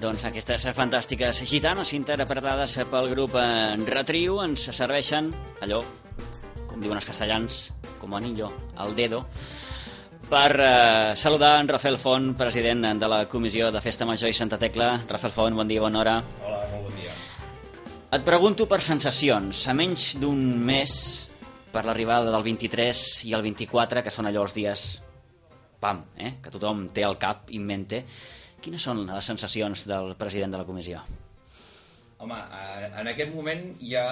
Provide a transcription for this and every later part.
Doncs aquestes fantàstiques gitanes interpretades pel grup Retriu ens serveixen allò, com diuen els castellans, com anillo al dedo, per saludar en Rafael Font, president de la Comissió de Festa Major i Santa Tecla. Rafael Font, bon dia, bona hora. Hola, molt bon dia. Et pregunto per sensacions. A menys d'un mes per l'arribada del 23 i el 24, que són allò els dies pam, que tothom té al cap in mente, quines són les sensacions del president de la comissió? Home, en aquest moment hi ha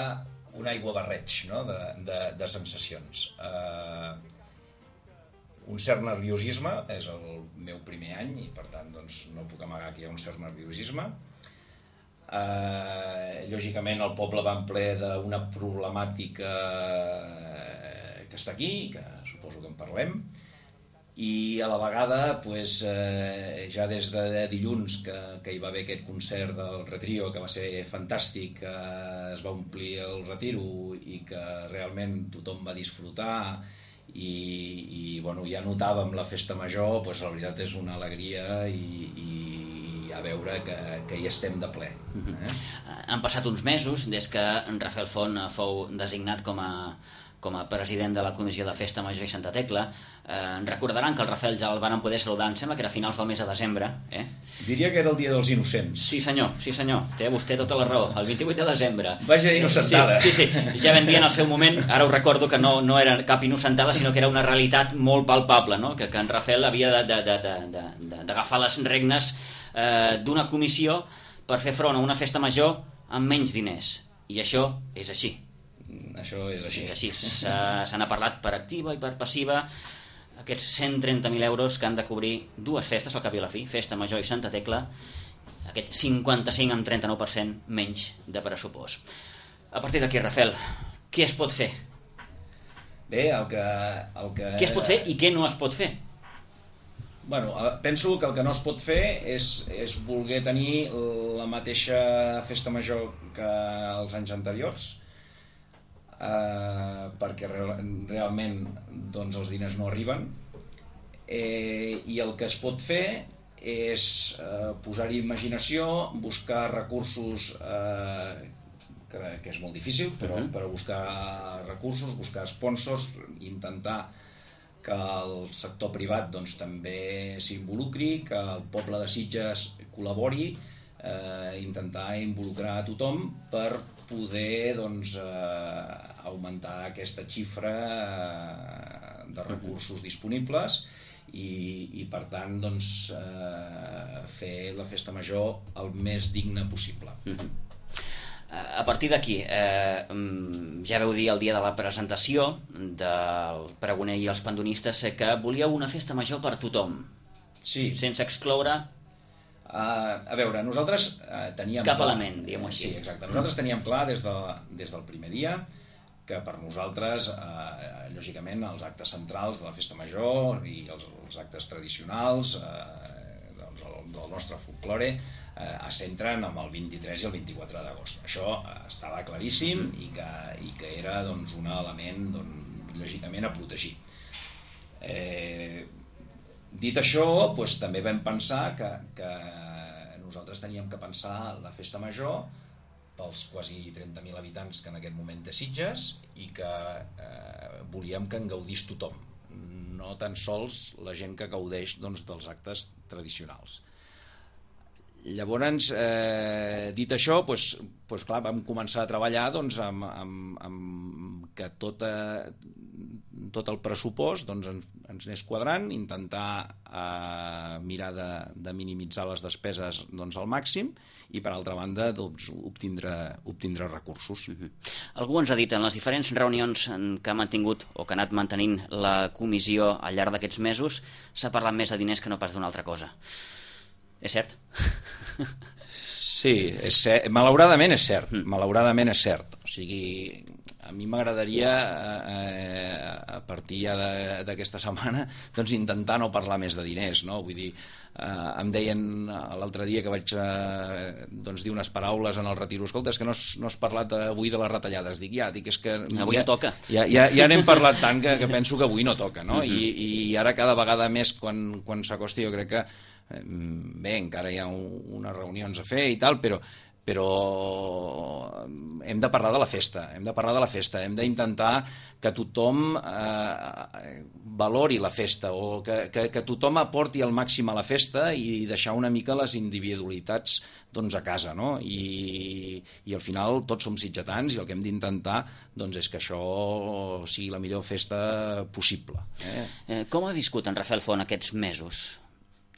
un aiguabarreig, no?, de sensacions. Un cert nerviosisme, és el meu primer any i per tant doncs, no puc amagar que hi ha un cert nerviosisme. Lògicament el poble va en ple d'una problemàtica que està aquí, que suposo que en parlem, i a la vegada pues, ja des de dilluns que hi va haver aquest concert del Retrio, que va ser fantàstic, es va omplir el Retiro i que realment tothom va disfrutar i bueno, ja notàvem la festa major, pues, la veritat és una alegria i a veure que hi estem de ple. Han passat uns mesos des que en Rafael Font fou designat com a president de la Comissió de Festa Major i Santa Tecla. Recordaran que el Rafael ja el van poder saludar, em sembla que era a finals del mes de desembre. Diria que era el dia dels innocents. Sí senyor, té vostè tota la raó, el 28 de desembre. Vaja innocentada. Sí, ja vam dir en el seu moment, ara ho recordo que no era cap innocentada, sinó que era una realitat molt palpable, no? que en Rafael havia d'agafar les regnes d'una comissió per fer front a una festa major amb menys diners. I això és així. Això és així. Se n'ha parlat per activa i per passiva. Aquests 130.000 euros que han de cobrir dues festes al cap i a la fi, Festa Major i Santa Tecla, aquest 55 amb 39% menys de pressupost. A partir d'aquí, Rafael, què es pot fer? Bé, el que... Què es pot fer i què no es pot fer? Bueno, penso que el que no es pot fer és voler tenir la mateixa festa major que els anys anteriors, perquè realment doncs, els diners no arriben, i el que es pot fer és posar-hi imaginació, buscar recursos, que és molt difícil, però buscar recursos, buscar sponsors, intentar que el sector privat doncs, també s'involucri, que el poble de Sitges col·labori, intentar involucrar a tothom per poder doncs, augmentar aquesta xifra de recursos disponibles i per tant doncs, fer la festa major el més digna possible. A partir d'aquí, ja veu dir el dia de la presentació del pregoner i els pandonistes que volíeu una festa major per tothom, sense excloure a veure, nosaltres teníem cap element, diguem-ho així. Sí, exacte. Nosaltres teníem clar des del primer dia que per nosaltres, lògicament, els actes centrals de la festa major i els actes tradicionals del nostre folklore es centren amb el 23 i el 24 d'agost. Això estava claríssim i que era doncs, un element lògicament a protegir. Dit això, doncs, també vam pensar que nosaltres teníem que pensar la festa major pels quasi 30.000 habitants que en aquest moment té Sitges i que volíem que en gaudís tothom, no tan sols la gent que gaudeix doncs, dels actes tradicionals. Llavors, dit això, doncs, clar, vam començar a treballar doncs, amb que tot el pressupost doncs, ens anés quadrant, intentar mirar de minimitzar les despeses doncs, al màxim i, per altra banda, doncs, obtindre recursos. Algú ens ha dit en les diferents reunions que ha mantingut o que ha anat mantenint la comissió al llarg d'aquests mesos s'ha parlat més de diners que no pas d'una altra cosa. És cert? Sí, malauradament és cert. Malauradament és cert. O sigui, a mi m'agradaria, a partir ja d'aquesta setmana, doncs intentar no parlar més de diners, no? Vull dir, em deien l'altre dia que vaig doncs, dir unes paraules en el Retiro, escolta, és que no has parlat avui de les retallades. Dic, és que... Avui no toca. Ja n'hem parlat tant que penso que avui no toca, no? I ara cada vegada més, quan s'acosti, jo crec que Bé, encara hi ha unes reunions a fer i tal, però hem de parlar de la festa, hem d'intentar que tothom valori la festa o que tothom aporti el màxim a la festa i deixar una mica les individualitats doncs, a casa, no? I al final tots som sitgetans i el que hem d'intentar doncs, és que això sigui la millor festa possible. Com ha viscut en Rafael Font aquests mesos?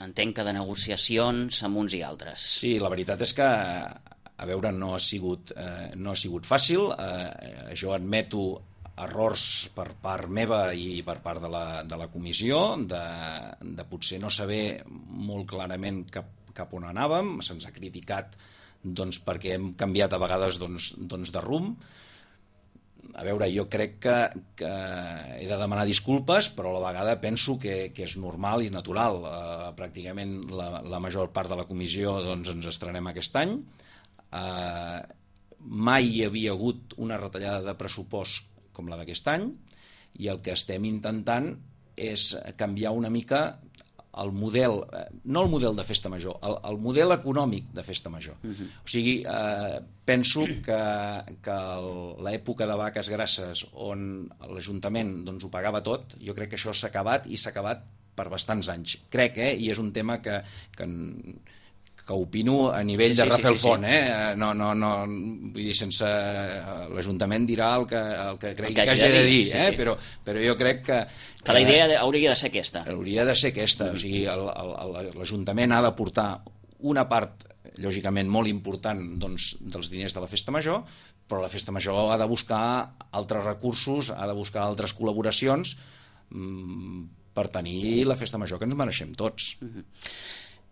Entenc que de negociacions amb uns i altres. Sí, la veritat és que a veure, no ha sigut fàcil. Jo admeto errors per part meva i per part de la comissió, de potser no saber molt clarament cap on anàvem. Se'ns ha criticat doncs, perquè hem canviat a vegades de rumb. A veure, jo crec que he de demanar disculpes, però a la vegada penso que és normal i natural. Pràcticament la major part de la comissió doncs, ens estrenem aquest any. Mai hi havia hagut una retallada de pressupost com la d'aquest any i el que estem intentant és canviar una mica el model, no el model de festa major, el model econòmic de festa major. O sigui, penso que l'època de vaques grasses on l'Ajuntament doncs, ho pagava tot, jo crec que això s'ha acabat i s'ha acabat per bastants anys. Crec, i és un tema que opino a nivell de Rafael Font, no, vull dir, sense l'Ajuntament dirà el que cregui que hagi de dir, però jo crec que la idea hauria de ser aquesta. Hauria de ser aquesta, o sigui, l'Ajuntament ha de portar una part, lògicament, molt important doncs, dels diners de la Festa Major, però la Festa Major ha de buscar altres recursos, ha de buscar altres col·laboracions per tenir la Festa Major que ens mereixem tots.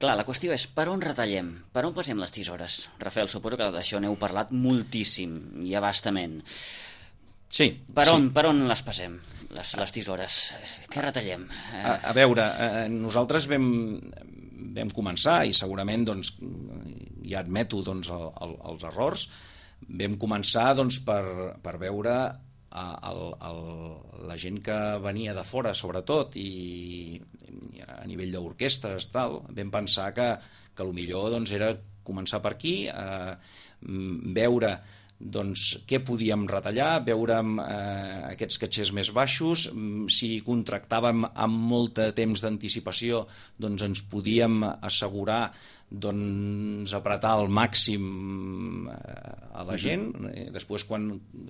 Clar, la qüestió és per on retallem, per on passem les tisores? Rafael, suposo que d'això n'heu parlat moltíssim i abastament. Sí. Per on les passem, les tisores? Què retallem? A veure, nosaltres vam començar, i segurament doncs, ja admeto doncs, els errors, vam començar doncs, per veure la gent que venia de fora, sobretot, i a nivell d'orquestres, vam pensar que el millor doncs, era començar per aquí, veure doncs, què podíem retallar, veure aquests catxers més baixos, si contractàvem amb molt de temps d'anticipació doncs ens podíem assegurar doncs, apretar al màxim a la gent. Després,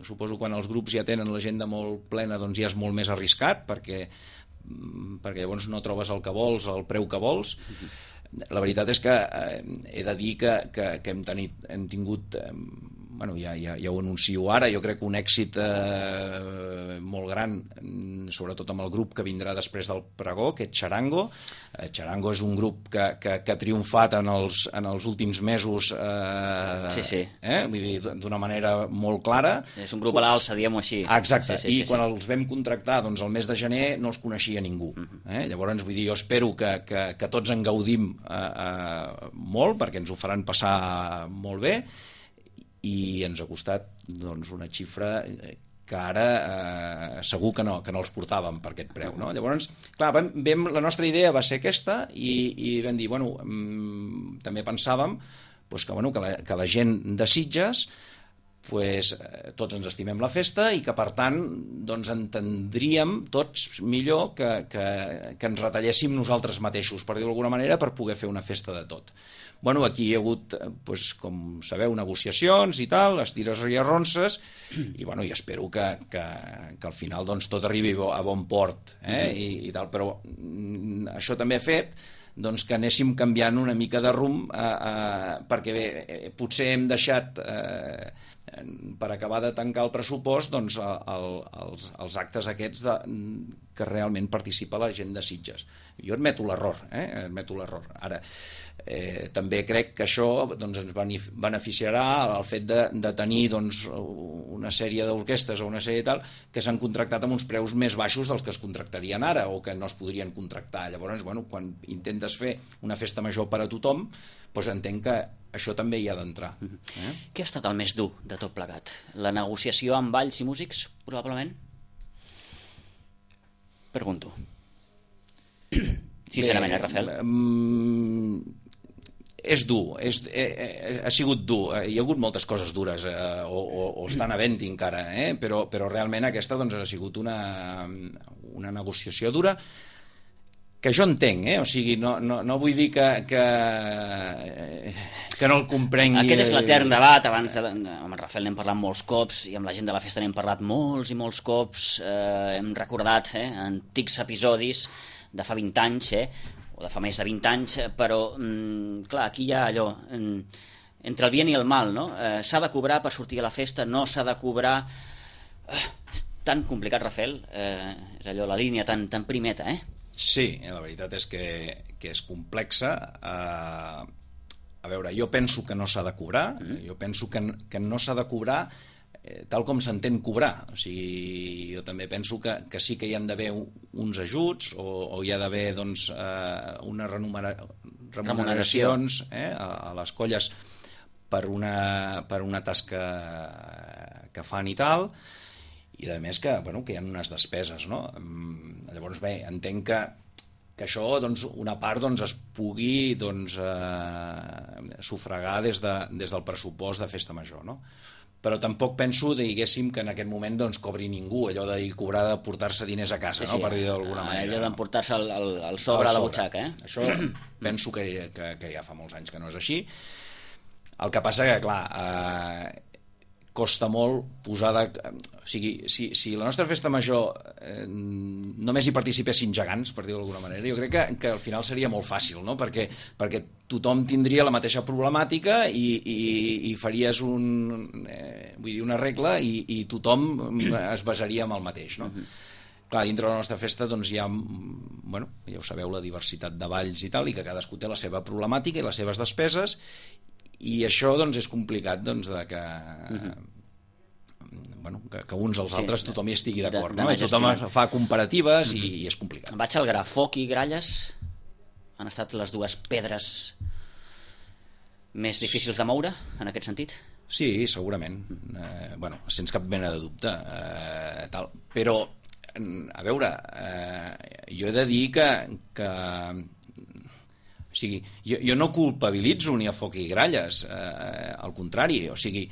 suposo quan els grups ja tenen l'agenda molt plena, doncs ja és molt més arriscat, perquè llavors no trobes el que vols, el preu que vols. La veritat és que he de dir que hem tingut, ja ho anuncio ara, jo crec que un èxit molt gran, sobretot amb el grup que vindrà després del pregó, que és Charango. Charango és un grup que ha triomfat en els últims mesos, vull dir, d'una manera molt clara. És un grup a l'alça, diguem-ho així. Exacte, i quan els vam contractar doncs, el mes de gener no els coneixia ningú. Llavors, vull dir, jo espero que tots en gaudim molt, perquè ens ho faran passar molt bé, i ens ha costat doncs, una xifra que ara segur que no els portàvem per aquest preu. No? Llavors, clar, la nostra idea va ser aquesta i vam dir, també pensàvem que la gent de Sitges tots ens estimem la festa i que per tant doncs, entendríem tots millor que ens retalléssim nosaltres mateixos, per dir-ho d'alguna manera, per poder fer una festa de tot. Aquí hi ha hagut, com sabeu, negociacions i tal, estires i arronses, i espero que al final doncs, tot arribi a bon port, i tal, però això també ha fet doncs, que anéssim canviant una mica de rumb, perquè bé, potser hem deixat, per acabar de tancar el pressupost, doncs, els actes aquests que realment participa la gent de Sitges. Jo admeto l'error, Ara, també crec que això doncs, ens beneficiarà el fet de tenir doncs, una sèrie d'orquestres o una sèrie tal que s'han contractat amb uns preus més baixos dels que es contractarien ara o que no es podrien contractar. Llavors, quan intentes fer una festa major per a tothom, doncs entenc que això també hi ha d'entrar. Què ha estat el més dur de tot plegat? La negociació amb balls i músics, probablement? Pregunto. Sincerament, Rafael? És dur, ha sigut dur. Hi ha hagut moltes coses dures, o estan havent-hi encara, però realment aquesta doncs, ha sigut una negociació dura, que jo entenc, o sigui, no vull dir que no el comprengui. Aquest és l'etern debat. Abans amb en Rafael n'hem parlat molts cops i amb la gent de la festa n'hem parlat molts i molts cops. Hem recordat antics episodis de fa 20 anys, o de fa més de 20 anys, però clar, aquí hi ha allò entre el bien i el mal, no? S'ha de cobrar per sortir a la festa, no s'ha de cobrar. És tan complicat, Rafael, és allò, la línia tan primeta, Sí, la veritat és que és complexa. A veure, jo penso que no s'ha de cobrar, jo penso que no s'ha de cobrar tal com s'entén cobrar. O sigui, jo també penso que sí que hi han d'haver uns ajuts o hi ha d'haver doncs, unes remuneracions a les colles per una tasca que fan i tal, i a més que hi ha unes despeses, no? Llavors bé, entenc que això doncs, una part doncs, es pugui doncs, sufragar des del pressupost de festa major, no? Però tampoc penso, diguéssim, que en aquest moment doncs, cobri ningú, allò de cobrar de portar-se diners a casa, no? Per dir d'alguna manera. Allò d'emportar-se el sobre a la butxaca. Això penso que ja fa molts anys que no és així. El que passa que, clar, costa molt posar o sigui, si la nostra festa major només hi participessin gegants, per dir-ho d'alguna manera, jo crec que al final seria molt fàcil, no? Perquè tothom tindria la mateixa problemàtica i faries una regla i tothom es basaria en el mateix, no? Clar, dintre de la nostra festa doncs, hi ha, ja ho sabeu, la diversitat de balls i tal, i que cadascú té la seva problemàtica i les seves despeses, i això doncs, és complicat doncs, que uns als altres tothom hi estigui d'acord, no? Tothom fa comparatives i és complicat. Vaig al gra. Foc i gralles han estat les dues pedres més difícils de moure en aquest sentit? Sí, segurament. Sense cap mena de dubte. Però, a veure, jo he de dir que o sigui, jo no culpabilitzo ni a Foc i Gralles, al contrari, o sigui,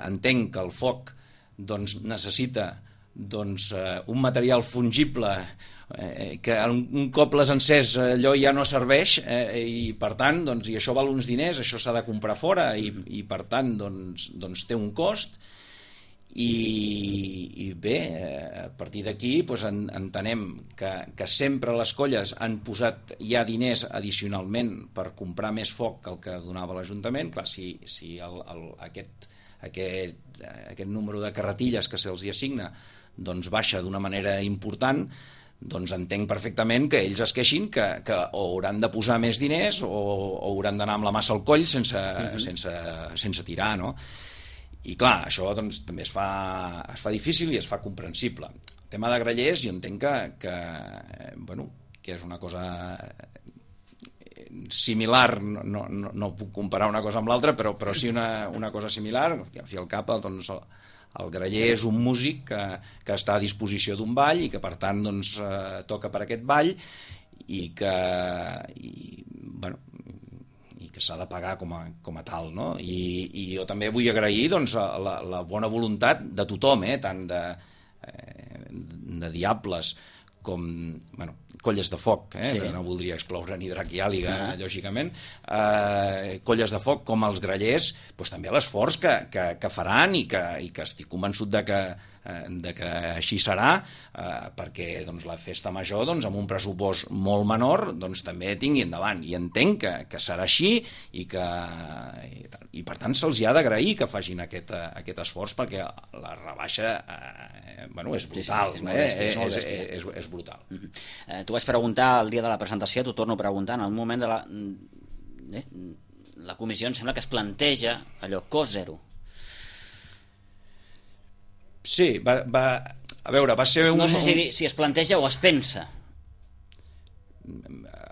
entenc que el foc doncs, necessita doncs, un material fungible que un cop l'has encès allò ja no serveix, i per tant doncs, i això val uns diners, això s'ha de comprar fora i per tant doncs, té un cost. I bé, a partir d'aquí doncs, entenem que sempre les colles han posat ja diners addicionalment per comprar més foc que el que donava l'Ajuntament. Clar, si aquest número de carretilles que se'ls hi assigna doncs baixa d'una manera important, doncs entenc perfectament que ells es queixin que o hauran de posar més diners o hauran d'anar amb la massa al coll sense tirar, no? I clar, això doncs, també es fa difícil i es fa comprensible. El tema de grallers jo entenc que és una cosa similar, no puc comparar una cosa amb l'altra, però sí una cosa similar, que al fi al cap doncs, el graller és un músic que està a disposició d'un ball i que per tant doncs, toca per aquest ball i que s'ha de pagar com a tal, no? I jo també vull agrair doncs, la bona voluntat de tothom, tant de diables com colles de foc, no voldria excloure ni Drac i Àliga, lògicament, colles de foc com els grallers, doncs també l'esforç que faran i que estic convençut de que així serà, perquè doncs, la festa major doncs, amb un pressupost molt menor doncs, també tingui endavant, i entenc que serà així i per tant se'ls ha d'agrair que facin aquest esforç, perquè la rebaixa és brutal, és brutal. T'ho vaig preguntar el dia de la presentació, t'ho torno a preguntar, en el moment de la comissió em sembla que es planteja allò, cost zero. Sí, a veure, va ser un... No sé si es planteja o es pensa.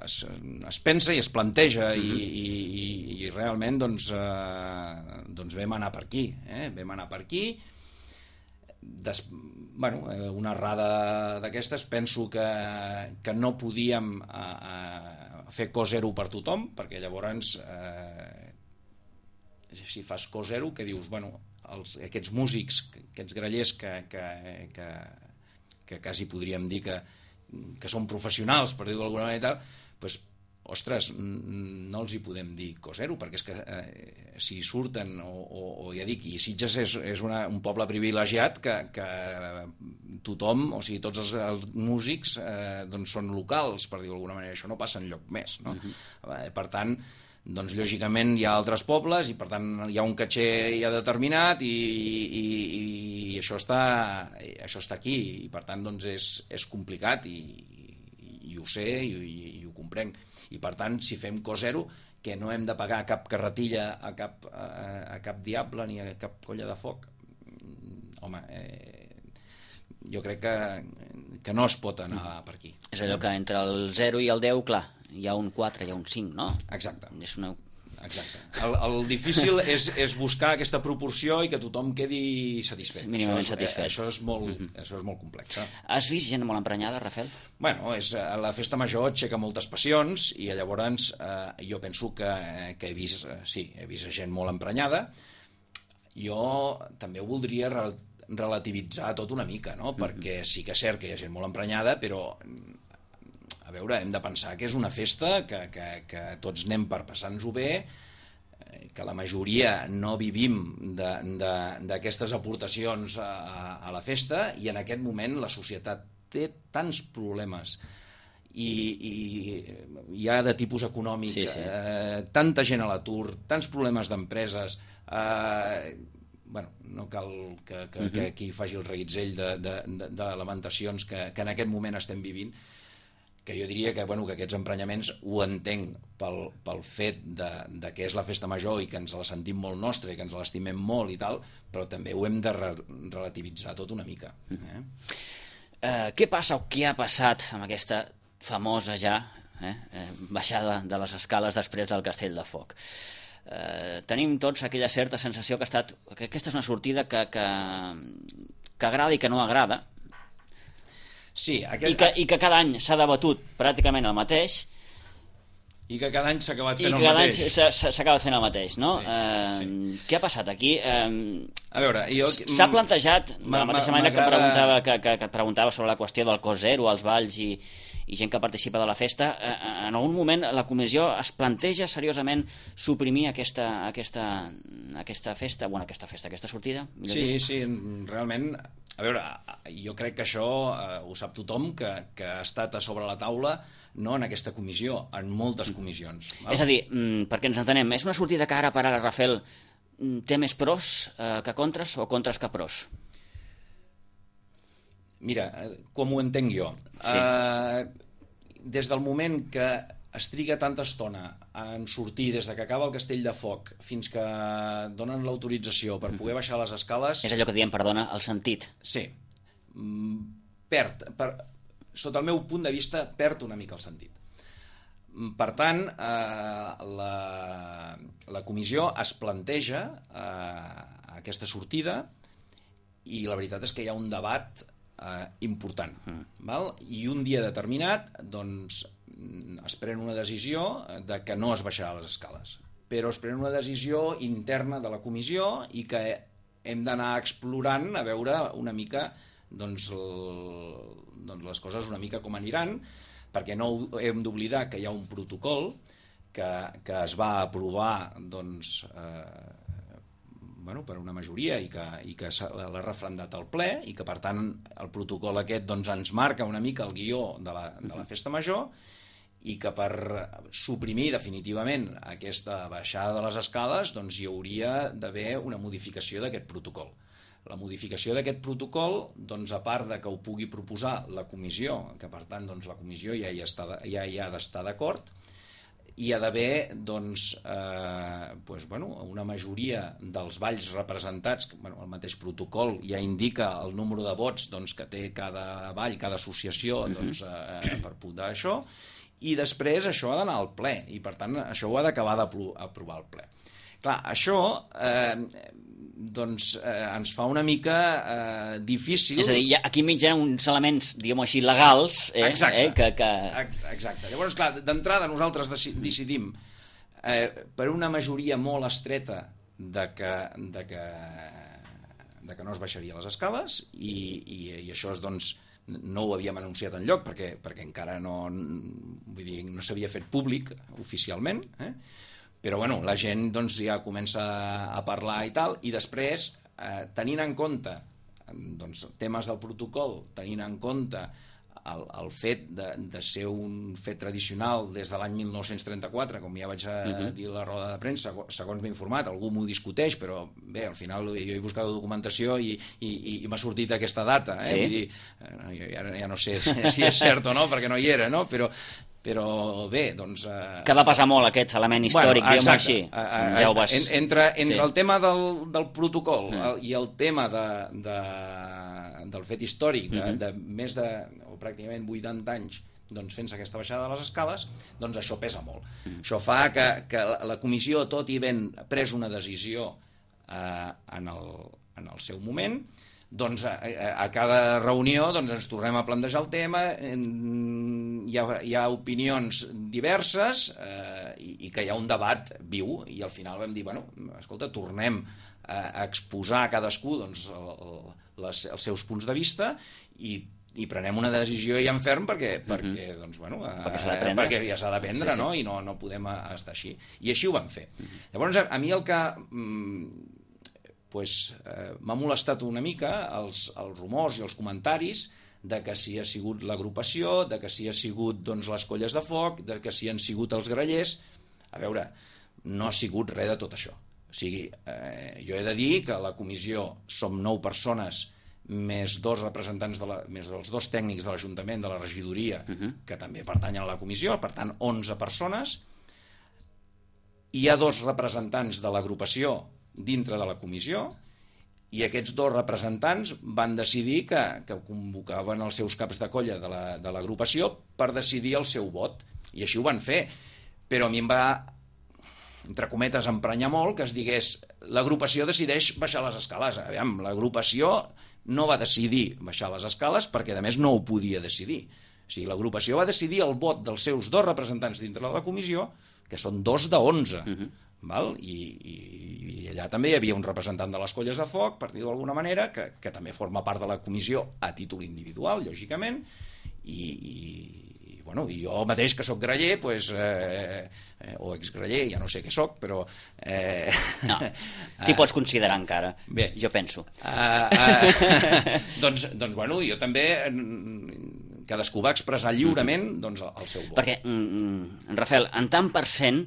Es pensa i es planteja i realment doncs vam anar per aquí. Vam anar per aquí. una errada d'aquestes. Penso que no podíem fer co zero per tothom, perquè llavors si fas co zero, que dius, aquests músics, aquests grallers que quasi podríem dir que són professionals, per dir-ho d'alguna manera, doncs, ostres, no els hi podem dir co zero, perquè és que si surten, o ja dic, i Sitges és un poble privilegiat que tothom, o sigui, tots els músics doncs són locals, per dir-ho d'alguna manera, això no passa enlloc més, no? Per tant, doncs lògicament hi ha altres pobles i per tant hi ha un caché ja determinat i això està aquí i per tant doncs és complicat i ho sé i ho comprenc. I per tant, si fem co zero, que no hem de pagar cap carretilla a cap diable ni a cap colla de foc, home, jo crec que no es pot anar per aquí. És allò que entre el 0 i el 10, clar, hi ha un 4, hi ha un 5, no? Exacte. Exacte. El difícil és buscar aquesta proporció i que tothom quedi satisfet. Mínimament satisfet. Això és molt complex. Has vist gent molt emprenyada, Rafel? Bueno, la festa major aixeca moltes passions i llavors jo penso que he vist gent molt emprenyada. Jo també ho voldria relativitzar tot una mica, no? Perquè sí que és cert que hi ha gent molt emprenyada, però a veure, hem de pensar que és una festa, que tots anem per passar-nos-ho bé, que la majoria no vivim d'aquestes aportacions a la festa i en aquest moment la societat té tants problemes i hi ha de tipus econòmic, tanta gent a l'atur, tants problemes d'empreses, no cal que aquí faci el reguitzell de lamentacions que en aquest moment estem vivint, que jo diria que aquests emprenyaments ho entenc pel fet de que és la festa major i que ens la sentim molt nostra i que ens l'estimem molt i tal, però també ho hem de relativitzar tot una mica. Què passa o què ha passat amb aquesta famosa baixada de les escales després del Castell de Foc? Tenim tots aquella certa sensació que aquesta és una sortida que agrada i que no agrada. Sí, I que cada any s'ha debatut pràcticament el mateix i que cada any s'ha acabat fent el mateix. I que cada any s'ha acabat fent el mateix, no? Sí. Què ha passat aquí? A veure, s'ha plantejat, de la mateixa manera que preguntava sobre la qüestió del co zero, els balls i gent que participa de la festa, en algun moment la comissió es planteja seriosament suprimir aquesta festa, aquesta sortida? Sí, realment. A veure, jo crec que això ho sap tothom, que ha estat a sobre la taula, no en aquesta comissió, en moltes comissions. És a dir, perquè ens entenem, és una sortida que ara per ara, Rafel, té més pros que contres o contres que pros? Mira, com ho entenc jo. Des del moment que es triga tanta estona en sortir des que acaba el Castell de Foc fins que donen l'autorització per poder baixar les escales... És allò que diem, perdona, el sentit. Sí. Sota el meu punt de vista, perd una mica el sentit. Per tant, la comissió es planteja aquesta sortida i la veritat és que hi ha un debat important. I un dia determinat, doncs, es pren una decisió de que no es baixarà les escales, però es pren una decisió interna de la comissió i que hem d'anar explorant a veure una mica doncs les coses una mica com aniran, perquè no hem d'oblidar que hi ha un protocol que es va aprovar doncs, per una majoria i que l'ha refrendat al ple i que per tant el protocol aquest doncs, ens marca una mica el guió de la festa major i que per suprimir definitivament aquesta baixada de les escales doncs, hi hauria d'haver una modificació d'aquest protocol. La modificació d'aquest protocol, doncs, a part de que ho pugui proposar la comissió, que per tant doncs, la comissió ja hi ha d'estar d'acord, hi ha d'haver doncs, una majoria dels balls representats, el mateix protocol ja indica el número de vots doncs, que té cada ball, cada associació doncs, per votar això, i després això ha d'anar al ple, i per tant això ho ha d'acabar d'aprovar al ple. Clar, això ens fa una mica difícil... És a dir, aquí enmig hi ha uns elements, diguem-ho així, legals... Exacte. Llavors, clar, d'entrada nosaltres decidim per una majoria molt estreta de que no es baixaria les escales i això és, doncs, no ho havíem anunciat enlloc perquè encara no s'havia fet públic oficialment, però bueno, la gent doncs, ja comença a parlar i tal, i després, tenint en compte doncs, temes del protocol, tenint en compte el fet de ser un fet tradicional des de l'any 1934, com ja vaig dir a la roda de premsa, segons m'he informat, algú m'ho discuteix, però bé, al final jo he buscat documentació i m'ha sortit aquesta data, sí? Vull dir, ja no sé si és cert o no, perquè no hi era, no? Però bé, doncs... Que va passar molt aquest element històric, diguem-ho així. Ja ho vas... Entre el tema del protocol i el tema del fet històric de més de, o pràcticament 80 anys doncs, fent aquesta baixada de les escales, doncs això pesa molt. Això fa que la comissió, tot i ben pres una decisió en el seu moment, doncs a cada reunió doncs, ens tornem a plantejar el tema, hi ha opinions diverses i que hi ha un debat viu, i al final vam dir, bueno, escolta, tornem a exposar a cadascú doncs, els seus punts de vista i prenem una decisió ja en ferm perquè doncs, bueno, perquè ja s'ha de prendre, sí. No? I no podem estar així. I així ho vam fer. Llavors, a mi el que m'ha molestat una mica els rumors i els comentaris de que si ha sigut l'agrupació, de que si ha sigut doncs, les colles de foc, de que si han sigut els grallers. A veure, no ha sigut res de tot això. O sigui, jo he de dir que a la comissió som 9 persones més 2 representants, més els 2 tècnics de l'Ajuntament, de la regidoria, que també pertanyen a la comissió, per tant 11 persones. Hi ha 2 representants de l'agrupació dintre de la comissió, i aquests 2 representants van decidir que convocaven els seus caps de colla de l'agrupació per decidir el seu vot, i així ho van fer. Però a mi em va, entre cometes, emprenyar molt que es digués l'agrupació decideix baixar les escales. Aviam, l'agrupació no va decidir baixar les escales perquè, a més, no ho podia decidir. O sigui, l'agrupació va decidir el vot dels seus 2 representants dintre de la comissió, que són 2 de 11, val? I allà també hi havia un representant de les colles de foc, per dir-ho d'alguna manera, que també forma part de la comissió a títol individual, lògicament, i jo mateix, que soc graller, o exgraller, ja no sé què soc, però... No, t'hi pots considerar encara, bé, jo penso. Doncs, jo també... Cadascú va expressar lliurement doncs, el seu vot. Perquè, Rafael, en tant per cent,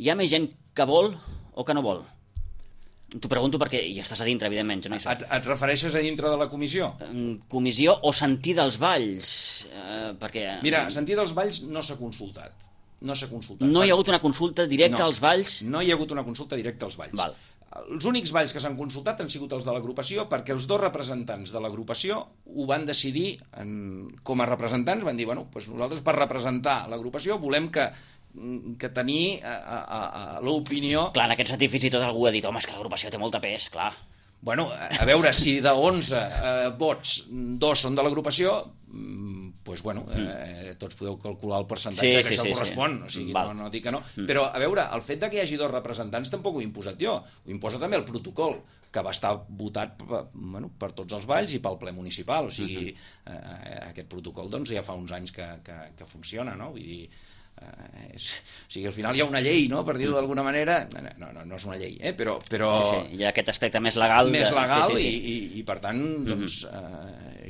hi ha més gent que vol o que no vol? T'ho pregunto perquè hi estàs a dintre, evidentment. Jo no hi soc. Et refereixes a dintre de la comissió? Comissió o sentir dels balls? Perquè... Mira, sentir dels balls no s'ha consultat. No hi ha hagut una consulta directa als balls? No hi ha hagut una consulta directa als balls. Val. Els únics balls que s'han consultat han sigut els de l'agrupació, perquè els 2 representants de l'agrupació ho van decidir com a representants, van dir, bueno, doncs nosaltres per representar l'agrupació volem que tenir l'opinió... Clar, en aquest sentit fins i tot algú ha dit, home, és que l'agrupació té molta pes, clar. Bueno, a veure, si de 11 vots 2 són de l'agrupació, doncs, bueno, tots podeu calcular el percentatge que això correspon, o sigui, no dic que no. Però, a veure, el fet que hi hagi 2 representants tampoc ho he imposat jo, ho imposa també el protocol, que va estar votat per tots els balls i pel ple municipal, o sigui, aquest protocol doncs ja fa uns anys que funciona, no? Vull dir... o sigui, al final hi ha una llei, no? Per dir-ho d'alguna manera, no és una llei, però... Sí, hi ha aquest aspecte més legal. I per tant, doncs,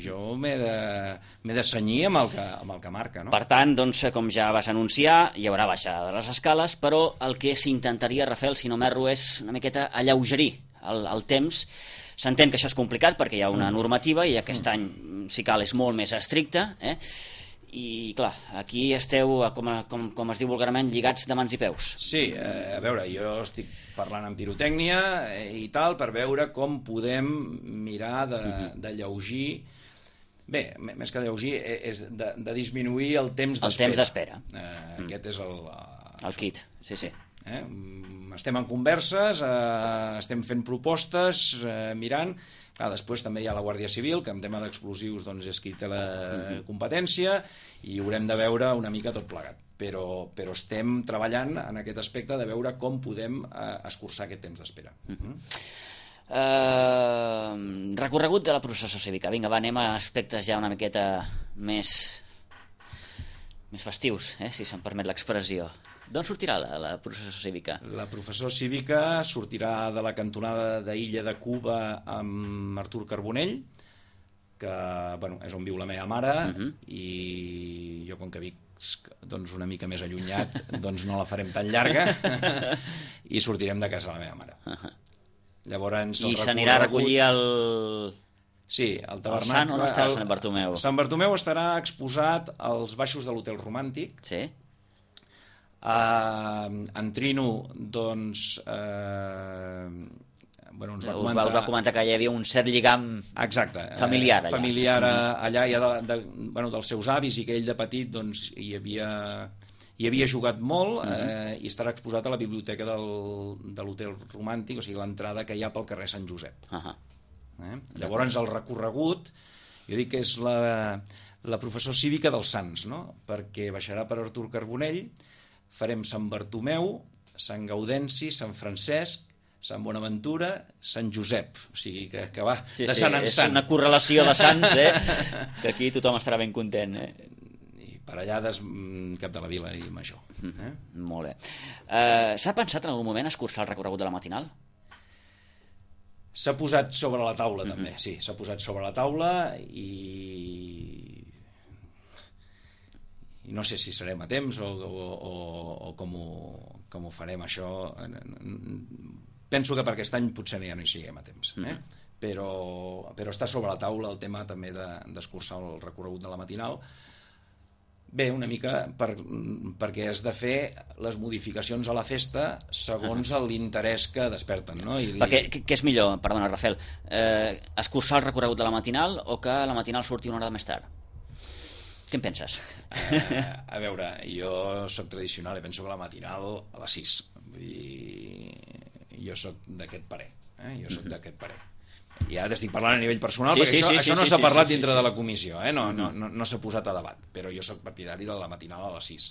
jo m'he de cenyir amb el que marca, no? Per tant, doncs, com ja vas anunciar, hi haurà baixada de les escales, però el que s'intentaria, Rafael, si no m'erro, és una miqueta alleugerir el temps. S'entén que això és complicat perquè hi ha una normativa i aquest any, si cal, és molt més estricta, i clar, aquí esteu, com es diu vulgarment, lligats de mans i peus. Sí, a veure, jo estic parlant amb pirotècnia i tal, per veure com podem mirar de lleugir Bé, més que lleugir, és de disminuir el temps d'espera. El temps d'espera. Aquest és el kit, sí. Estem en converses, estem fent propostes, mirant. Clar, després també hi ha la Guàrdia Civil, que en tema d'explosius doncs, és qui té la competència, i haurem de veure una mica tot plegat. Però estem treballant en aquest aspecte de veure com podem escurçar aquest temps d'espera. Recorregut de la processó cívica. Vinga, va, anem a aspectes ja una miqueta més festius, si se'm permet l'expressió. D'on sortirà la processó cívica? La processó cívica sortirà de la cantonada d'Illa de Cuba amb Artur Carbonell, que és on viu la meva mare, i jo, com que vic una mica més allunyat, doncs no la farem tan llarga, i sortirem de casa de la meva mare. Llavors, i s'anirà a recollir el... Sí, el tabernacle... El Sant, on estarà Sant Bartomeu? Sant Bartomeu estarà exposat als baixos de l'Hotel Romàntic. Sí. En Trino, doncs... us va comentar que hi havia un cert lligam familiar allà. Familiar allà, ja dels seus avis, i que ell de petit doncs, hi havia jugat molt, i estarà exposat a la biblioteca de l'Hotel Romàntic, o sigui, l'entrada que hi ha pel carrer Sant Josep. Llavors, el recorregut, jo dic que és la professó cívica dels Sants, no? Perquè baixarà per Artur Carbonell, farem Sant Bartomeu, Sant Gaudenci, Sant Francesc, Sant Bonaventura, Sant Josep, o sigui que va de sant en sant. És una correlació de sants, que aquí tothom estarà ben content. I per allà cap de la vila i major. Molt bé. S'ha pensat en algun moment escurçar el recorregut de la matinal? S'ha posat sobre la taula, també, sí, s'ha posat sobre la taula, i no sé si serem a temps o com ho farem, això. Penso que per aquest any potser ja no hi siguem a temps, però està sobre la taula el tema també d'escurçar el recorregut de la matinal. Bé, una mica perquè has de fer les modificacions a la festa segons l'interès que desperten, no? Perquè què és millor, perdona, Rafael, escurçar el recorregut de la matinal o que la matinal surti una hora més tard? Què en penses? A veure, jo soc tradicional i penso que la matinal a les 6. Vull dir, jo soc d'aquest parer. Jo soc d'aquest parer. Ja t'estic parlant a nivell personal, perquè això no s'ha parlat dintre de la comissió, no s'ha posat a debat, però jo soc partidari de la matinal a les 6.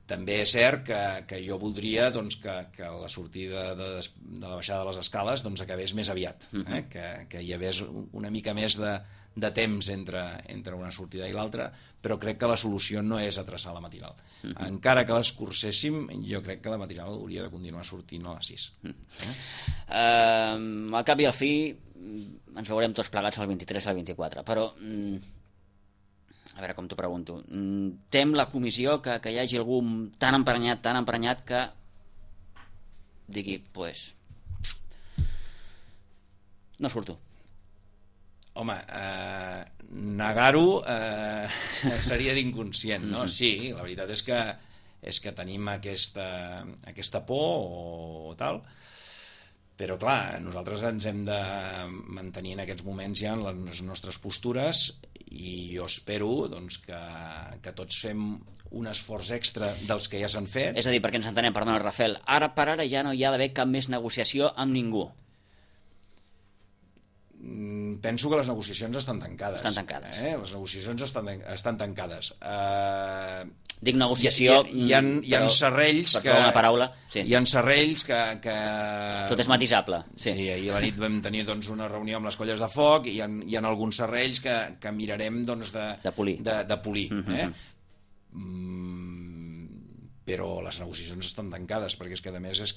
També és cert que jo voldria que la sortida de la baixada de les escales acabés més aviat, que hi hagués una mica més de temps entre una sortida i l'altra, però crec que la solució no és atreçar la matinal. Encara que l'escurcéssim, jo crec que la matinal hauria de continuar sortint a les 6. Al cap i al fi ens veurem tots plegats el 23 i el 24, però a veure com t'ho pregunto, tem la comissió que hi hagi algú tan emprenyat que digui, pues no surto. Home, negar-ho seria d'inconscient, no? Sí, la veritat és que tenim aquesta por o tal, però clar, nosaltres ens hem de mantenir en aquests moments ja en les nostres postures, i jo espero que tots fem un esforç extra dels que ja s'han fet. És a dir, perquè ens entenem, perdona, Rafael, ara per ara ja no hi ha d'haver cap més negociació amb ningú. Penso que les negociacions estan tancades. Les negociacions estan tancades. Dic negociació... Hi ha serrells que... una paraula, sí. Hi ha serrells que... Tot és matisable. Sí, ahir a la nit vam tenir una reunió amb les colles de foc, i hi ha alguns serrells que mirarem de polir. Però les negociacions estan tancades, perquè és que a més és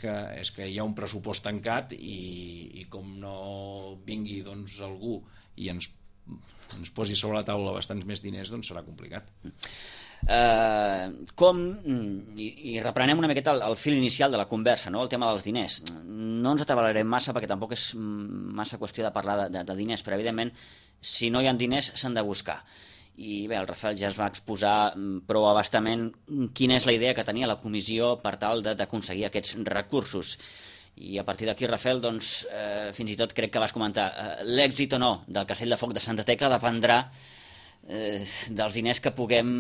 que hi ha un pressupost tancat, i com no vingui algú i ens posi sobre la taula bastants més diners, doncs serà complicat. I reprenem una miqueta el fil inicial de la conversa, no? El tema dels diners. No ens atabalarem massa, perquè tampoc és massa qüestió de parlar de diners, però evidentment si no hi ha diners s'han de buscar. I bé, el Rafael ja es va exposar prou abastament quina és la idea que tenia la comissió per tal d'aconseguir aquests recursos. I a partir d'aquí, Rafael, doncs, fins i tot crec que vas comentar, l'èxit o no del Castell de Foc de Santa Tecla dependrà dels diners que puguem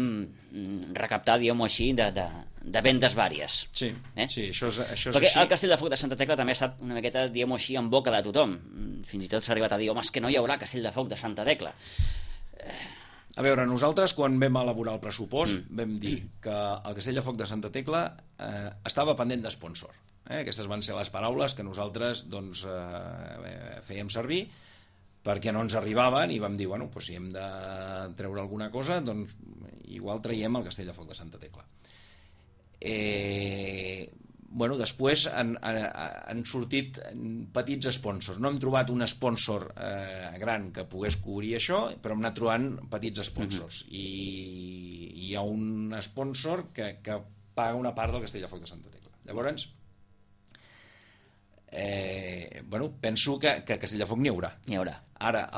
recaptar, diguem-ho així, de vendes vàries. Sí, sí, això és perquè així. El Castell de Foc de Santa Tecla també ha estat una miqueta, diguem-ho així, en boca de tothom. Fins i tot s'ha arribat a dir, home, és que no hi haurà Castell de Foc de Santa Tecla. A veure, nosaltres quan vam elaborar el pressupost vam dir que el Castell de Foc de Santa Tecla estava pendent d'espònsor. Aquestes van ser les paraules que nosaltres doncs, fèiem servir perquè no ens arribaven i vam dir, bueno, doncs si hem de treure alguna cosa, doncs igual traiem el Castell de Foc de Santa Tecla. Bueno, després han sortit petits sponsors. No hem trobat un sponsor gran que pogués cobrir això, però hem anat trobant petits sponsors. I hi ha un sponsor que paga una part del Castell de Foc de Santa Tecla. Llavors, bueno, penso que Castell de Foc n'hi haurà. N'hi haurà. Ara,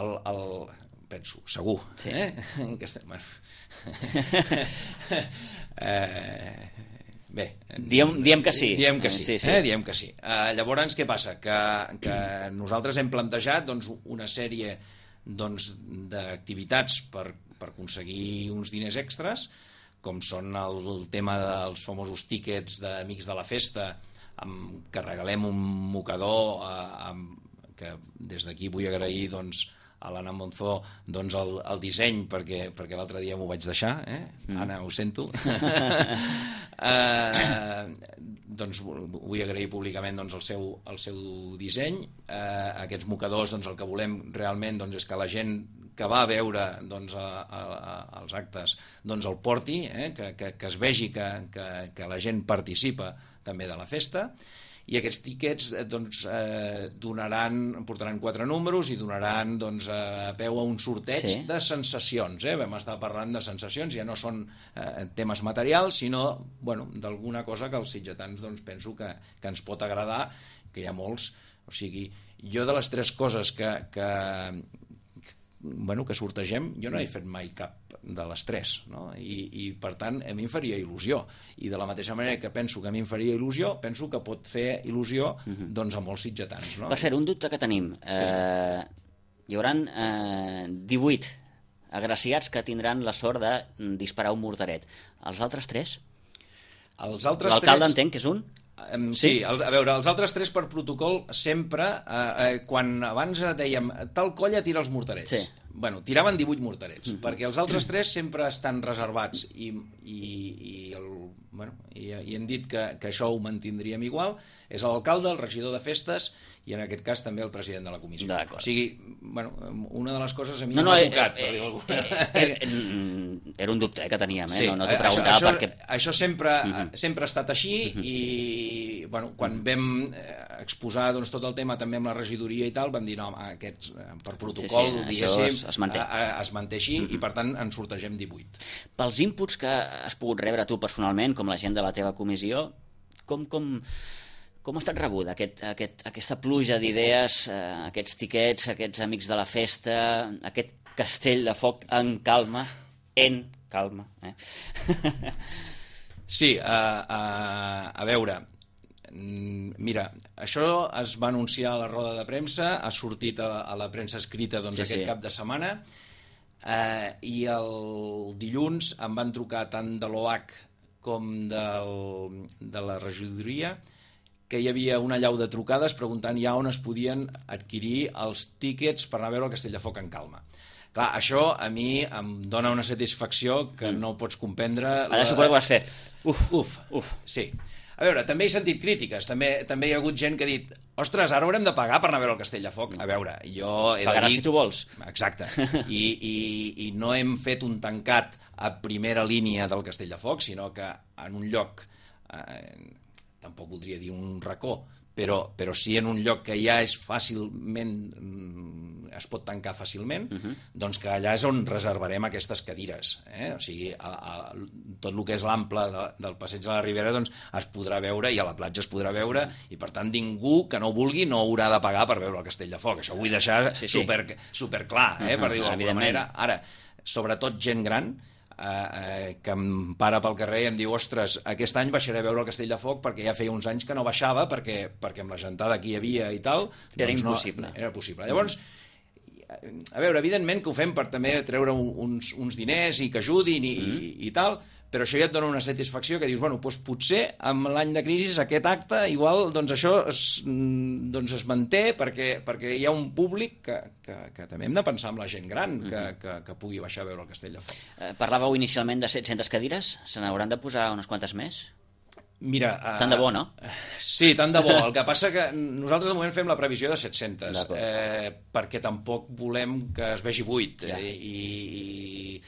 penso, segur. Sí. Bé, diem que sí. Diem que sí. Sí. Diem que sí. Llavors, què passa? Que nosaltres hem plantejat doncs, una sèrie d'activitats per aconseguir uns diners extras, com són el tema dels famosos tíquets d'Amics de la Festa, que regalem un mocador, que des d'aquí vull agrair a l'Anna Monzó el disseny, perquè l'altre dia m'ho vaig deixar, Anna, ho sento. Doncs vull agrair públicament el seu disseny. Aquests mocadors, el que volem realment és que la gent que va a veure els actes el porti, que es vegi que la gent participa també de la festa. I aquests tíquets portaran 4 números i donaran peu a un sorteig de sensacions. Vam estar parlant de sensacions, ja no són temes materials, sinó d'alguna cosa que els sitgetans penso que ens pot agradar, que hi ha molts. O sigui, jo de les 3 coses que sortegem, jo no he fet mai cap de les 3, no? I per tant a mi em faria il·lusió, i de la mateixa manera que penso que a mi em faria il·lusió, penso que pot fer il·lusió a molts sitgetans, no? Per cert, un dubte que tenim, hi haurà 18 agraciats que tindran la sort de disparar un morteret. Els altres 3? L'alcalde entenc que és un? Sí, a veure, els altres 3 per protocol sempre, quan abans dèiem tal colla tira els morterets, tiraven 18 morterets, perquè els altres 3 sempre estan reservats i hem dit que això ho mantindríem igual. És l'alcalde, el regidor de festes i en aquest cas també el president de la comissió. O sigui, una de les coses a mi m'ha tocat, per dir-ho alguna cosa. Era un dubte que teníem, no t'ho preguntava perquè... Això sempre ha estat així i quan vam exposar tot el tema també amb la regidoria i tal, vam dir, no, aquests per protocol, diguéssim, es manté així i per tant en sortegem 18. Pels inputs que has pogut rebre tu personalment, com la gent de la teva comissió, com ha estat rebuda aquesta pluja d'idees, aquests tiquets, aquests amics de la festa, aquest castell de foc en calma, Sí, a veure, mira, això es va anunciar a la roda de premsa, ha sortit a la premsa escrita aquest cap de setmana, i el dilluns em van trucar tant de l'OH com de la regidoria que hi havia una allau de trucades preguntant ja on es podien adquirir els tíquets per anar a veure el Castell de Foc en calma. Clar, això a mi em dona una satisfacció que no pots comprendre. Ara suposo que vas fer uf. Sí. A veure, també he sentit crítiques, també hi ha hagut gent que ha dit ostres, ara haurem de pagar per anar a veure el Castell de Foc. A veure, jo he de dir... Pagaràs si tu vols. Exacte. I no hem fet un tancat a primera línia del Castell de Foc, sinó que en un lloc, tampoc voldria dir un racó, però sí en un lloc que ja és fàcilment, es pot tancar fàcilment, doncs que allà és on reservarem aquestes cadires. O sigui, tot el que és l'ample del passeig de la Ribera doncs es podrà veure i a la platja es podrà veure i per tant ningú que no vulgui no haurà de pagar per veure el Castell de Foc. Això ho vull deixar superclar, per dir-ho d'alguna manera. Ara, sobretot gent gran, que em para pel carrer i em diu ostres, aquest any baixaré a veure el Castell de Foc perquè ja feia uns anys que no baixava perquè amb la gentada que hi havia i tal... Era impossible. Era possible. Llavors, a veure, evidentment que ho fem per també treure uns diners i que ajudin i tal, però això ja et dona una satisfacció que dius, bueno, doncs potser amb l'any de crisi aquest acte igual doncs això es manté perquè hi ha un públic que també hem de pensar en la gent gran que pugui baixar a veure el Castell de Foc. Parlàveu inicialment de 700 cadires, se n'hauran de posar unes quantes més? Mira, tant de bo, no? Sí, tant de bo. El que passa que nosaltres de moment fem la previsió de 700 perquè tampoc volem que es vegi buit i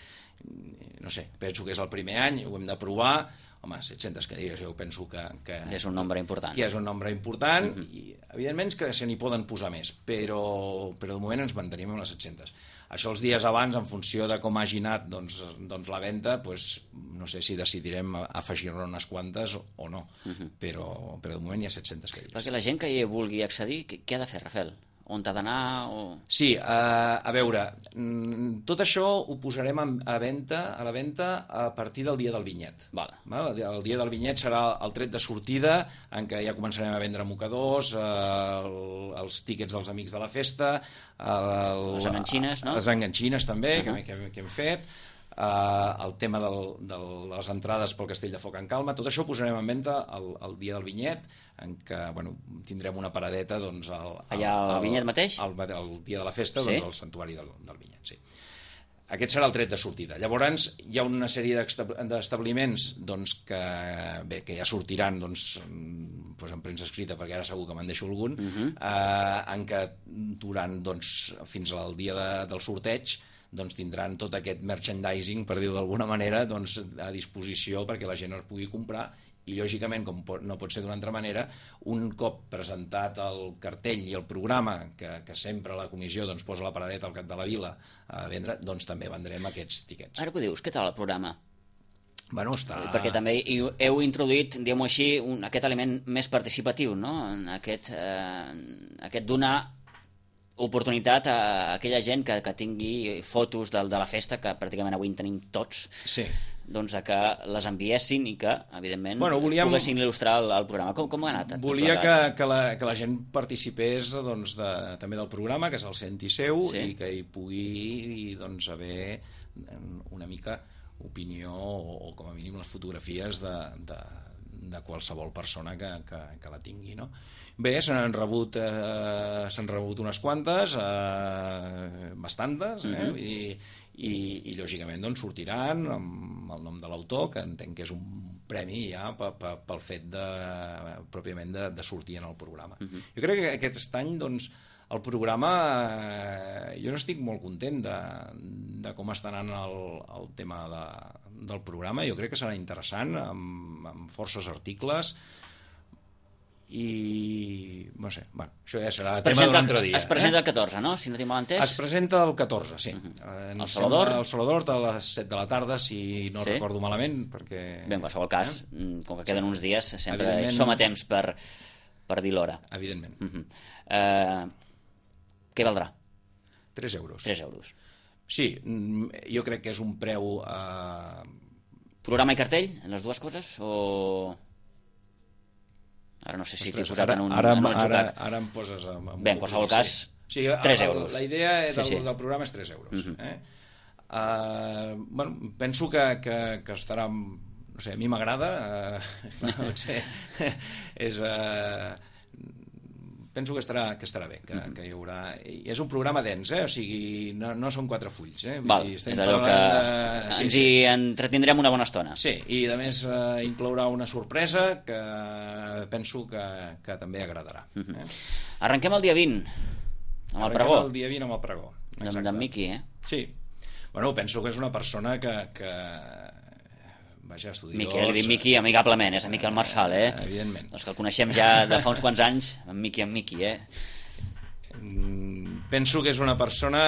no sé, penso que és el primer any, ho hem de provar. Home, 700 cadires, jo penso que és un nombre important. Que és un nombre important i evidentment que se n'hi poden posar més, però de moment ens mantenim amb les 700. Això els dies abans, en funció de com hagi anat doncs la venda, no sé si decidirem afegir-ne unes quantes o no, però de moment hi ha 700 cadires. Perquè la gent que hi vulgui accedir, què ha de fer, Rafael? On t'ha d'anar? Sí, a veure, tot això ho posarem a la venda a partir del dia del vinyet. El dia del vinyet serà el tret de sortida, en què ja començarem a vendre mocadors, els tíquets dels amics de la festa, les enganxines, no? Les enganxines també, que hem fet, el tema de les entrades pel Castell de Foc en Calma, tot això ho posarem en venda el dia del vinyet, en què tindrem una paradeta allà al vinyet mateix? El dia de la festa, al santuari del vinyet, sí. Aquest serà el tret de sortida. Llavors hi ha una sèrie d'establiments que ja sortiran en premsa escrita, perquè ara segur que me'n deixo algun, en què durant fins al dia del sorteig tindran tot aquest merchandising, per dir-ho d'alguna manera, a disposició perquè la gent es pugui comprar i, lògicament, com no pot ser d'una altra manera, un cop presentat el cartell i el programa, que sempre la comissió posa la paradeta al cap de la vila a vendre, també vendrem aquests tiquets. Ara que ho dius, què tal el programa? Bueno, està... Perquè també heu introduït, diguem-ho així, aquest element més participatiu, no? Aquest donar oportunitat a aquella gent que tingui fotos de la festa, que pràcticament avui en tenim tots, que les enviessin i que, evidentment, poguessin il·lustrar el programa. Com ha anat? Volia que la gent participés també del programa, que és el senti seu, i que hi pugui haver una mica opinió o com a mínim les fotografies de qualsevol persona que la tingui, no? Bé, s'han rebut unes quantes, bastantes, i lògicament sortiran amb el nom de l'autor, que entenc que és un premi ja pel fet pròpiament de sortir en el programa. Jo crec que aquest any el programa, jo n'estic molt content de com està anant el tema del programa. Jo crec que serà interessant, amb forces articles, i no sé, això ja serà tema d'un altre dia. Es presenta el 14, no? Si no tinc mal entès. Es presenta el 14, sí. El Salvador? El Salvador a les 7 de la tarda, si no recordo malament, perquè... Bé, en qualsevol cas, com que queden uns dies, sempre som a temps per dir l'hora. Evidentment. Què valdrà? 3 euros. 3 euros. Sí, jo crec que és un preu... Programa i cartell, en les dues coses, o... Ara no sé si t'he posat en un atzucac. Ara em poses... Bé, en qualsevol cas, 3 euros. La idea del programa és 3 euros. Penso que estarà... No sé, a mi m'agrada. Penso que estarà bé, que hi haurà... És un programa dens, o sigui, no són 4 fulls. És allò que ens hi entretindrem una bona estona. Sí, i a més inclourà una sorpresa que penso que també agradarà. Arrenquem el dia 20, amb el pregó. Arrenquem el dia 20 amb el pregó. D'en Miqui, Sí. Bueno, penso que és una persona que vaja, estudiós... Miqui, li dic Miqui amigablement, és amic el Marçal, Evidentment. Els que el coneixem ja de fa uns quants anys, en Miqui, Penso que és una persona...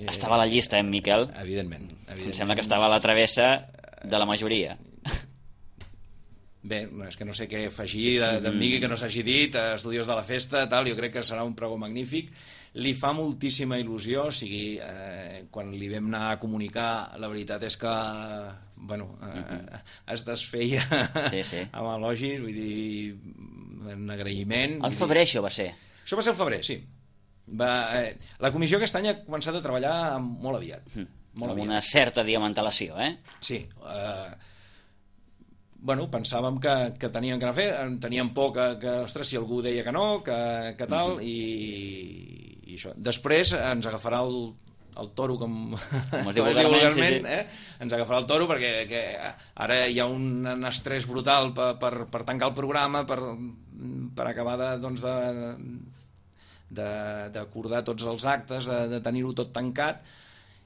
Estava a la llista, en Miquel? Evidentment. Em sembla que estava a la travessa de la majoria. Bé, és que no sé què afegir d'en Migui que no s'hagi dit, Estudios de la Festa, tal, jo crec que serà un pregó magnífic. Li fa moltíssima il·lusió, o sigui, quan li vam anar a comunicar, la veritat és que, bueno, es desfeia amb elogis, vull dir, un agraïment. Al febrer això va ser? Això va ser al febrer, sí. La comissió aquest any ha començat a treballar molt aviat. Amb una certa diamantalació, eh? Sí. Bueno, pensàvem que teníem que anar a fer, teníem por que ostres, si algú deia que no, que tal, i això. Després ens agafarà el toro, com es diu vulgarment, ens agafarà el toro, perquè ara hi ha un estrès brutal per tancar el programa, per acabar d'acordar tots els actes, de tenir-ho tot tancat,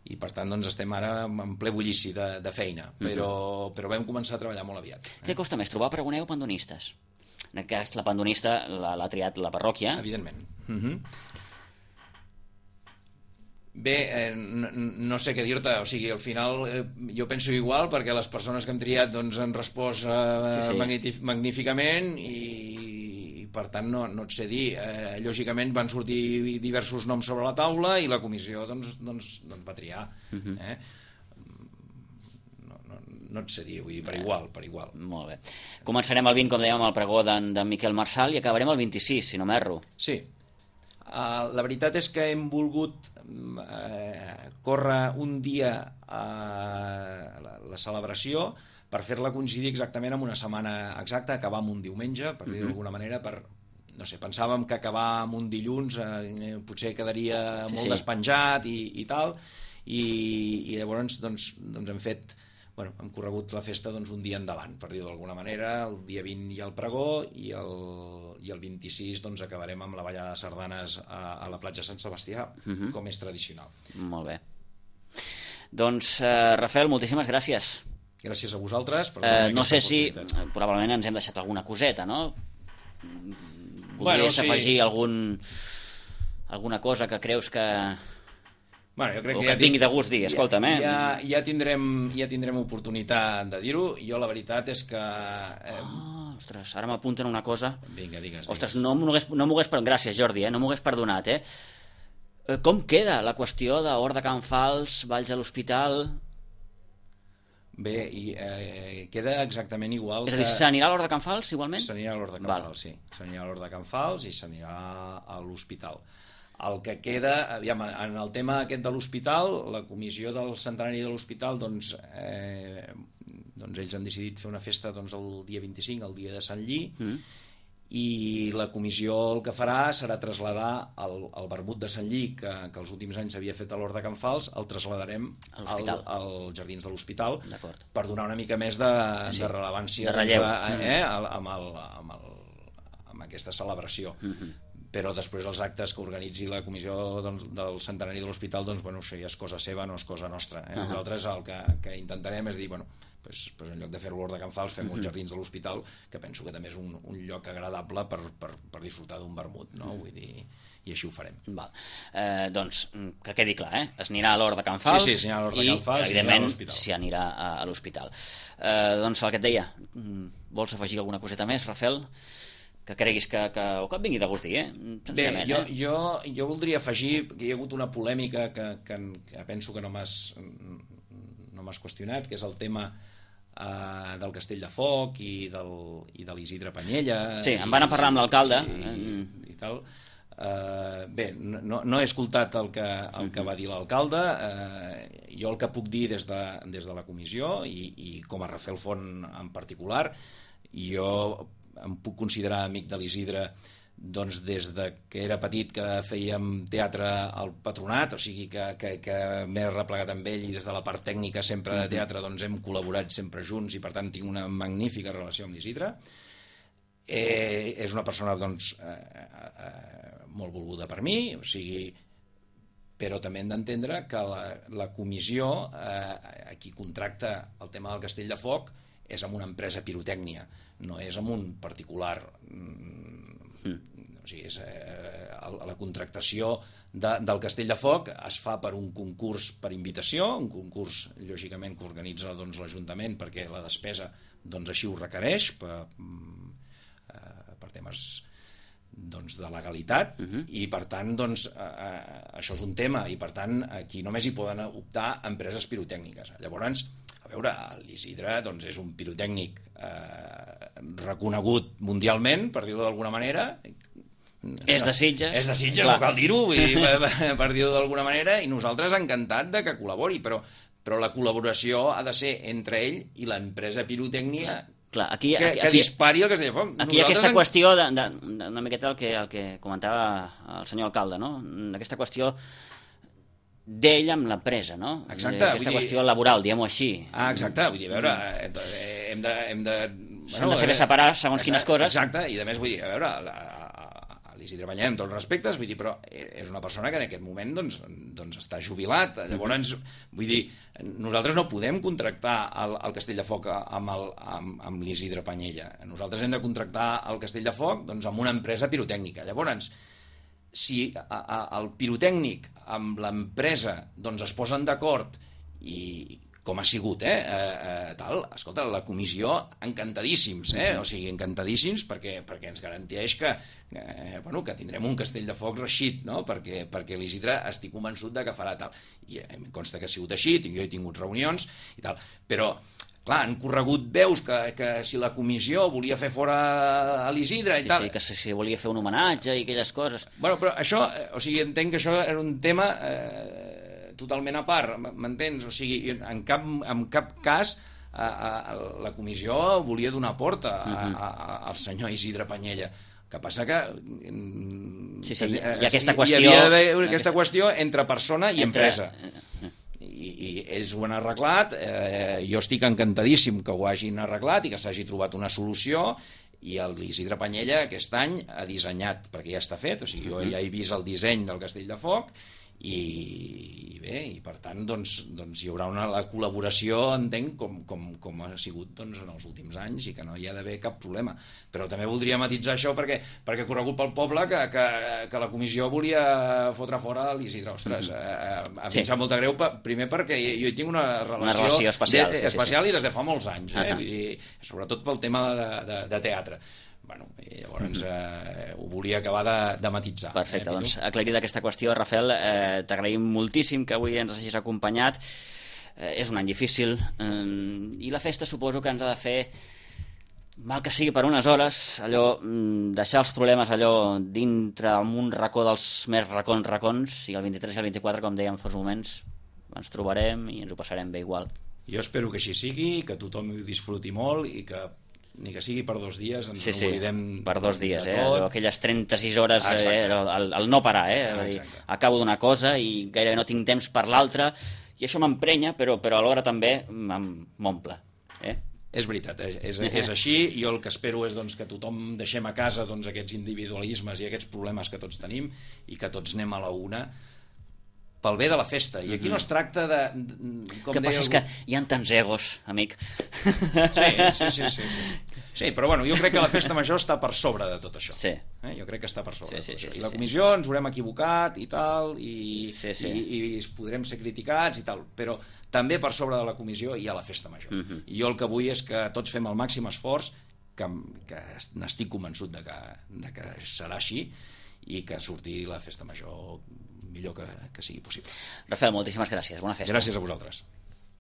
i per tant doncs, estem ara en ple bullici de feina, però vam començar a treballar molt aviat. Què costa més, trobar pregoneu o pandonistes? En aquest cas la pandonista l'ha triat la parròquia. Evidentment. Bé, no sé què dir-te, o sigui, al final jo penso igual, perquè les persones que hem triat doncs, han respost magníficament, i per tant no et sé dir. Lògicament van sortir diversos noms sobre la taula i la comissió doncs va triar. No et sé dir, vull dir, per igual. Molt bé. Començarem el 20, com dèiem, amb el pregó d'en Miquel Marçal, i acabarem el 26, si no m'erro. Sí. La veritat és que hem volgut córrer un dia la celebració per fer-la coincidir exactament amb una setmana exacta, acabar amb un diumenge, per dir d'alguna manera, no sé, pensàvem que acabar amb un dilluns potser quedaria molt despenjat i tal, i llavors doncs hem fet, hem corregut la festa un dia endavant, per dir d'alguna manera. El dia 20 hi ha el pregó, i el 26 acabarem amb la ballada de sardanes a la platja Sant Sebastià, com és tradicional. Molt bé. Doncs, Rafael, moltíssimes gràcies. Gràcies a vosaltres. No sé si probablement ens hem deixat alguna coseta, no? Voldries afegir alguna cosa que creus que... Jo crec que et vingui de gust dir, escolta'm, ja tindrem oportunitat de dir-ho. Jo la veritat és que... Ostres, ara m'apunten una cosa. Vinga, digues. Ostres, no m'ho hagués perdonat. Gràcies, Jordi, no m'ho hagués perdonat, Com queda la qüestió d'Hort de Can Fals, Valls a l'Hospital? Bé, queda exactament igual. És a dir, s'anirà a l'Hort de Can Fals, igualment? S'anirà a l'Hort de Can Fals, sí. S'anirà a l'Hort de Can Fals i s'anirà a l'Hospital. El que queda, aviam, en el tema aquest de l'Hospital, la comissió del centenari de l'Hospital, doncs ells han decidit fer una festa el dia 25, el dia de Sant Lli, i la comissió el que farà serà traslladar el vermut de Sant Lli, que els últims anys s'havia fet a l'Hort de Can Fals, el traslladarem als Jardins de l'Hospital, per donar una mica més de rellevància, de relleu, amb aquesta celebració. Però després els actes que organitzi la comissió del centenari de l'Hospital, doncs, això ja és cosa seva, no és cosa nostra. Nosaltres el que intentarem és dir, en lloc de fer-ho a l'Hort de Can Fals, fem uns Jardins de l'Hospital, que penso que també és un lloc agradable per disfrutar d'un vermut, no? Vull dir, i així ho farem. Doncs, que quedi clar, es anirà a l'Hort de Can Fals, sí, s'anirà a l'Hort de Can Fals, i, evidentment, s'hi anirà a l'Hospital. Doncs el que et deia, vols afegir alguna coseta més, Rafael? Que creguis o que et vingui de gust dir, Bé, jo voldria afegir que hi ha hagut una polèmica que penso que no m'has qüestionat, que és el tema del Castell de Foc i de l'Isidre Panyella. Sí, em van a parlar amb l'alcalde. I tal. Bé, no he escoltat el que va dir l'alcalde. Jo el que puc dir des de la comissió, i com a Rafael Font en particular, jo em puc considerar amic de l'Isidre doncs des de que era petit, que fèiem teatre al Patronat, o sigui que m'he replegat amb ell, i des de la part tècnica sempre de teatre doncs hem col·laborat sempre junts, i per tant tinc una magnífica relació amb l'Isidre. És una persona doncs molt volguda per mi, o sigui, però també hem d'entendre que la comissió a qui contracta el tema del Castell de Foc és amb una empresa pirotècnia, no és amb un particular. O sigui, la contractació del Castell de Foc es fa per un concurs per invitació, un concurs, lògicament, que organitza l'Ajuntament perquè la despesa així ho requereix per temes de legalitat, i per tant això és un tema, i per tant aquí només hi poden optar empreses pirotècniques. Llavors, a veure, l'Isidre és un pirotècnic reconegut mundialment, per dir-ho d'alguna manera. És de Sitges. És de Sitges, no cal dir-ho, per dir-ho d'alguna manera, i nosaltres encantat de que col·labori, però la col·laboració ha de ser entre ell i l'empresa pirotècnica que dispari el Castell de Foc. Aquí hi ha aquesta qüestió una miqueta el que comentava el senyor alcalde, no? Aquesta qüestió d'ell amb l'empresa, no? Exacte. Aquesta qüestió laboral, diguem-ho així. Exacte, vull dir, a veure, s'han de saber separar segons quines coses. Exacte, i a més, vull dir, a veure, l'Isidre Banyem, amb tots els respectes, vull dir, però és una persona que en aquest moment està jubilat. Llavors, vull dir, nosaltres no podem contractar el Castell de Foc amb l'Isidre Panyella. Nosaltres hem de contractar el Castell de Foc amb una empresa pirotècnica. Llavors, si el pirotècnic amb l'empresa es posen d'acord, i com ha sigut, escolta, la comissió encantadíssims, o sigui, encantadíssims perquè ens garanteix que tindrem un Castell de Foc reeixit, no? Perquè l'Isidre estic convençut que farà tal. I em consta que ha sigut així, jo he tingut reunions i tal, però clar, han corregut veus que si la comissió volia fer fora a l'Isidre i tal... Sí, que si volia fer un homenatge i aquelles coses... Bueno, però això, o sigui, entenc que això era un tema totalment a part, m'entens? O sigui, en cap cas la comissió volia donar porta al senyor Isidre Panyella. El que passa que hi ha aquesta qüestió... Hi havia d'haver aquesta qüestió entre persona i empresa. I ells ho han arreglat, jo estic encantadíssim que ho hagin arreglat i que s'hagi trobat una solució, i l'Isidre Panyella aquest any ha dissenyat, perquè ja està fet, o sigui, jo ja he vist el disseny del Castell de Foc, i bé, i per tant hi haurà la col·laboració, entenc, com ha sigut en els últims anys, i que no hi ha d'haver cap problema. Però també voldria matitzar això perquè ha corregut pel poble que la comissió volia fotre fora l'Isidre. Ostres, a mi em sap molt de greu, primer perquè jo hi tinc una relació especial i des de fa molts anys, i sobretot pel tema de teatre. Bueno, i llavors ho volia acabar de matitzar. Perfecte, doncs aclarida aquesta qüestió, Rafael, t'agraïm moltíssim que avui ens hagis acompanyat. És un any difícil i la festa suposo que ens ha de fer, mal que sigui per unes hores, allò, deixar els problemes allò dintre en un racó dels més racons, i el 23 i el 24, com dèiem fa uns moments, ens trobarem i ens ho passarem bé igual. Jo espero que així sigui, que tothom ho disfruti molt i que ni que sigui per 2 dies ens oblidem per 2 dies, aquelles 36 hores, el no parar, dir, acabo d'una cosa i gairebé no tinc temps per l'altra, i això m'emprenya, però alhora també m'omple. És veritat, és així. Jo el que espero és que tothom deixem a casa aquests individualismes i aquests problemes que tots tenim i que tots anem a la una pel bé de la festa. I aquí no es tracta de... El que passa és que hi ha tants egos, amic. Sí, però bueno, jo crec que la festa major està per sobre de tot això. Jo crec que està per sobre de tot això. I la comissió ens haurem equivocat i tal, i podrem ser criticats i tal, però també per sobre de la comissió hi ha la festa major. I jo el que vull és que tots fem el màxim esforç, que n'estic convençut de que serà així, i que surti la festa major millor que sigui possible. Rafael, moltíssimes gràcies. Bona festa. Gràcies a vosaltres.